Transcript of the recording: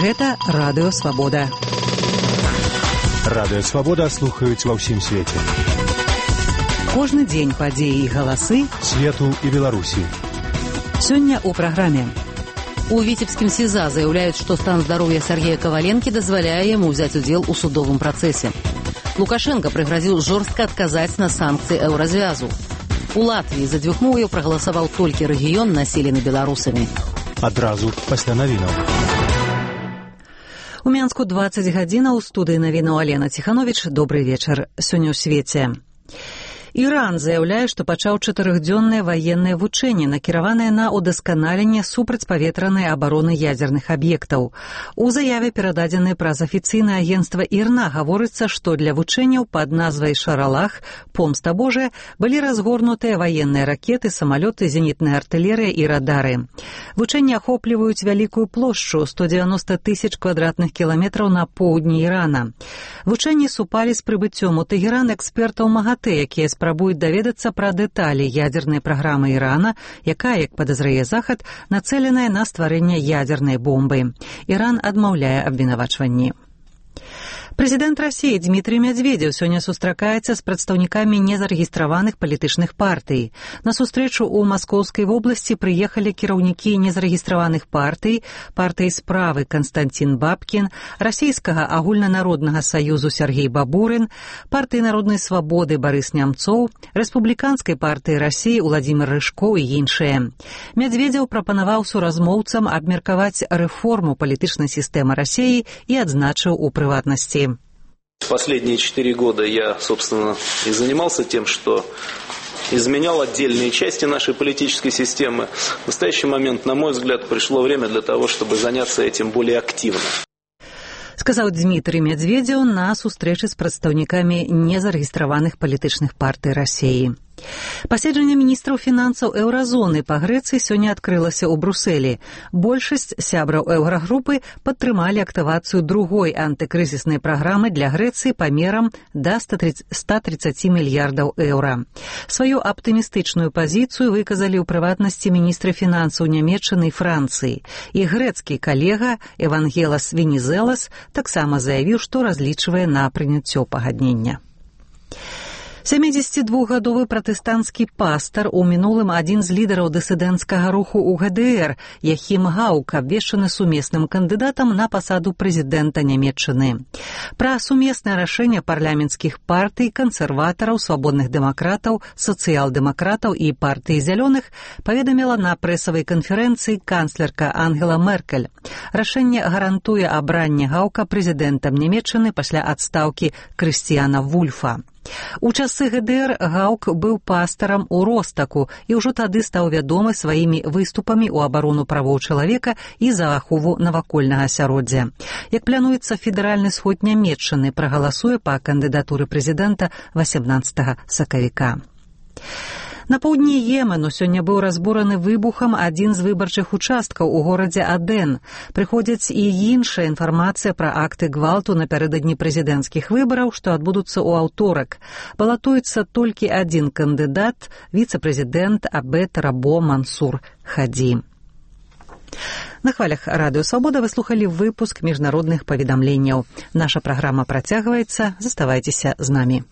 Гэта Радыё Свабода. Радыё Свабода слухаюць ва ўсім свеце. Кожны дзень падзеі і галасы свету і Беларусі. Сёння ў праграме. У Віцебскім СІЗА заяўляюць, што стан здароўя Сергея Каваленкі дазваляе яму ўзяць удзел у судовым працэсе. Лукашенко прыгразіў жорстка адказаць на санкцыі еўразвязу. У Латвіі за дзвюхмоўяў прагаласаваў толькі рэгіён, населены беларусамі. Адразу пасля навінаў. У Мянску 20 гадзінаў, у студыі навінаў Алена Ціхановіч. Добрый вечар. Сёння ў свеце. Іран заяўляе, што пачаў 4-дзённае ваеннае вучэнне, накіраванае на ўдасканаленне супрацьпаветранай абароны ядзерных аб'ектаў. У заяве, перададзенай праз афіцыйнае агенцтва ІРНА, гаворыцца, што для вучэнняў пад назвай «Шаралах» «Помста Божая» былі разгорнутыя ваенныя ракеты, самалёты, зенітная артылерыя і радары. Вучэнні ахопліваюць вялікую плошчу 190 000 квадратных кіламетраў на поўдні Ірана. Вучэнні супалі з прыбыццём у Тэгеран экспертаў МАГАТЭ, якія спрабуюць даведацца пра дэталі ядзернай праграмы Ірана, якая, як падазрае Захад, нацэленая на стварэнне ядзернай бомбы. Іран адмаўляе абвінавачванні. Прэзідэнт Расіі Дмітрый Медведзеў сёння сустракаецца з прадстаўнікамі незарэгістраваных палітычных партый. На сустрэчу ў Маскоўскай вобласці прыехалі кіраўнікі незарэгістраваных партый, партыі справы Канстантин Бабкін, расійскага агульнанароднага саюзу Сергей Бабурын, партыі народнай свабоды Барыс Нямцоў, рэспубліканскай партыі Расіі Уладзімір Рыжко і іншыя. Медведзеў прапанаваў суразмоўцам абмеркаваць рэформу палітычнай сістэмы Расіі і адзначыў у прыватнасці. Последние 4 года я, собственно, и занимался тем, что изменял отдельные части нашей политической системы. В настоящий момент, на мой взгляд, пришло время для того, чтобы заняться этим более активно. Сказаў Дмітрый Медведзеў на сустрэчы з прадстаўнікамі незарэгістраваных палітычных партый Расіі. Паседжанне міністраў фінансаў еўразоны па Грэцыі сёння адкрылася ў Брусэлі. Большасць сябраў еўрагрупы падтрымалі актывацыю другой антыкрызіснай праграмы для Грэцыі памерам да 130 мільярдаў еўра. Сваю аптымістычную пазіцыю выказалі ў прыватнасці міністры фінансаў Нямецчыны і Францыі. І грэцкі калега Евангелас Венізелас таксама заявіў, што разлічвае на прыняццё пагаднення. 72-гадовы пратэстанцкі пастар, у мінулым адзін з лідараў дысідэнцкага руху ў ГДР, Яхім Гаук, абвешчаны сумесным кандыдатам на пасаду прэзідэнта Нямецчыны. Пра сумеснае рашэнне парламенцкіх партый, кансерватараў, свабодных дэмакратаў, сацыял-дэмакратаў і партыі зялёных паведаміла на прэсавай канферэнцыі канцлерка Ангела Меркель. Рашэнне гарантуе абранне Гаука прэзідэнтам Нямецчыны пасля адстаўкі Крысціяна Вульфа. У часы ГДР Гаук быў пастарам у Ростаку і ўжо тады стаў вядомы сваімі выступамі ў абарону правоў чалавека і за ахову навакольнага асяроддзя. Як плануецца, федэральны сход Нямецчыны прагаласуе па кандыдатуры прэзідэнта 18 сакавіка. На поўдні Йемену сёння быў разбураны выбухам адзін з выбарчых участкаў у горадзе Аден. Прыходзіць і іншая інфармацыя пра акты гвалту напярэдадні прэзідэнцкіх выбараў, што адбудуцца ў аўторак. Балатуецца толькі адзін кандыдат, віцэ-прэзідэнт Абед Рабо Мансур Хаді. На хвалях Радыё Свабода вы слухалі выпуск міжнародных паведамленняў. Наша праграма працягваецца. Заставайцеся з намі.